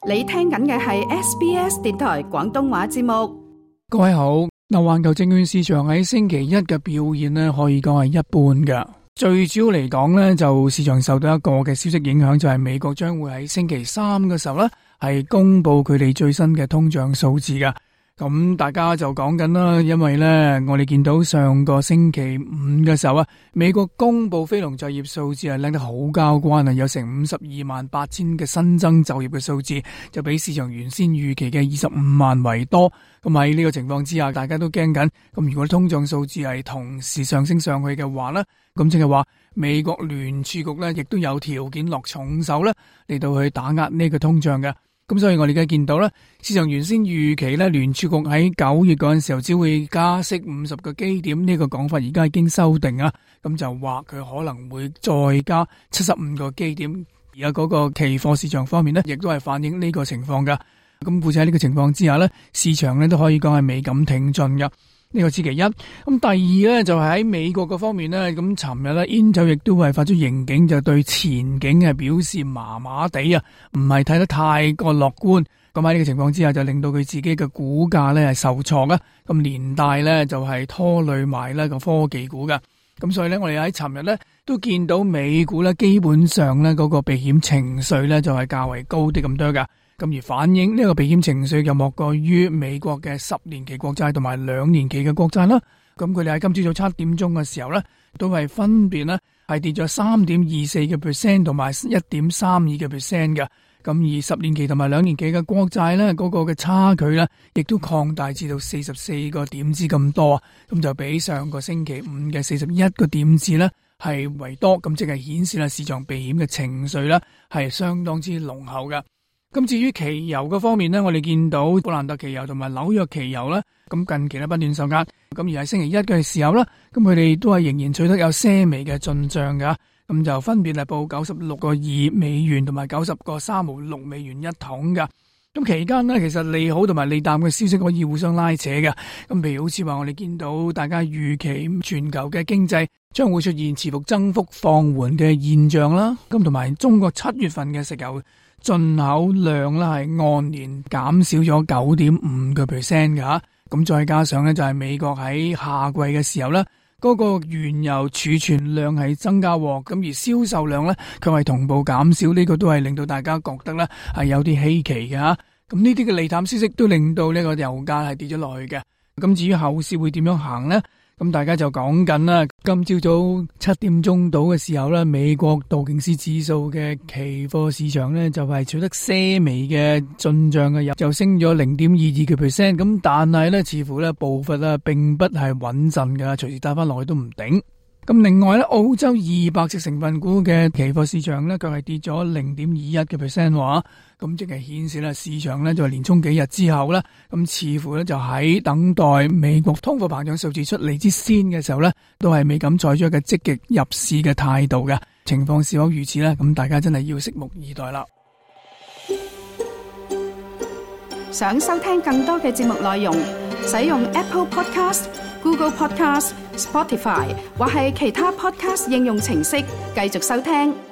你聽緊嘅係 SBS 電台廣東話節目。各位好，環球證券市場喺星期一嘅表現呢，可以講係一般嘅。最主要嚟講呢，就市場受到一個嘅消息影響，就係美國將會喺星期三嘅時候呢，係公布佢哋最新嘅通脹數字嘅。咁大家就講緊啦，因為呢，我哋見到上個星期五嘅時候啊，美國公布非農就業數字係靚得好交關啊，有成528000嘅新增就業嘅數字，就比市場原先預期嘅25萬為多。咁喺呢個情況之下，大家都驚緊。咁如果通脹數字係同時上升上去嘅話呢，咁即係話美國聯儲局呢亦都有條件落重手呢嚟到去打壓呢個通脹嘅。咁所以我哋而家見到咧，市場原先預期咧，聯儲局喺9月嗰陣時候只會加息50個基點，呢個講法而家已經修訂啊，咁就話佢可能會再加75個基點。而家嗰個期貨市場方面咧，亦都係反映呢個情況噶。咁故此喺呢個情況之下咧，市場咧都可以講係未敢挺進噶。呢個係其一。咁第二咧就係喺美國嘅方面咧，咁尋日咧 Intel 亦都係發出盈警，就對前景係表示麻麻地啊，唔係睇得太過樂觀。咁喺呢個情況之下，就令到佢自己嘅股價咧係受挫啦。咁連帶咧就係拖累埋呢個科技股噶。咁所以咧，我哋喺尋日咧都見到美股咧基本上咧嗰個避險情緒咧就係較為高啲咁多噶。咁而反映呢個避險情緒又莫過於美國嘅10年期國債同埋2年期嘅國債啦。咁佢哋喺今朝早7點鐘嘅時候咧，都係分別咧係跌咗3.24% 同埋1.32% 嘅。咁而10年期同埋2年期嘅國債咧，嗰個嘅差距咧，亦都擴大至到44個點子咁多。咁就比上個星期五嘅41個點子咧係為多。咁即係顯示啦，市場避險嘅情緒咧係相當之濃厚嘅。咁至於期油嘅方面呢，我哋見到布蘭特期油同埋紐約期油啦，咁近期咧不斷受壓，咁而喺星期一嘅時候啦，咁佢哋都係仍然取得有些微嘅進賬噶，咁就分別係報96.2美元同埋90.356美元一桶噶。咁期間呢，其實利好同埋利淡嘅消息可以互相拉扯嘅。咁譬如好似話我哋見到大家預期全球嘅經濟將會出現持續增幅放緩嘅現象啦，咁同埋中國7月份嘅石油進口量咧係按年減少咗9.5% 嘅，咁再加上咧就係美國喺夏季嘅時候咧，嗰個原油儲存量係增加，咁而銷售量咧佢係同步減少，呢個都係令到大家覺得咧係有啲稀奇嘅吓。咁呢啲嘅利淡消息都令到呢個油價係跌咗落去嘅。咁至於後市會點樣行呢？咁大家就講緊啦，今朝早7點鐘到嘅時候咧，美國道瓊斯指數嘅期貨市場咧就係取得些微嘅進賬嘅，就升咗0.22%。咁但係咧，似乎咧步伐咧並不係穩陣噶，隨時打翻落去都唔頂。咁另外咧，澳洲200隻成分股嘅期貨市場咧，佢係跌咗0.21%話，咁即係顯示咧市場咧就係連衝幾日之後咧，咁似乎咧就喺等待美國通貨膨脹數字出嚟之先嘅時候咧，都係未敢採取一個積極入市嘅態度嘅情況是否如此咧？咁大家真係要拭目以待啦。想收聽更多嘅節目內容，使用 Apple Podcast、Google Podcast、Spotify 或係其他 Podcast 應用程式繼續收聽。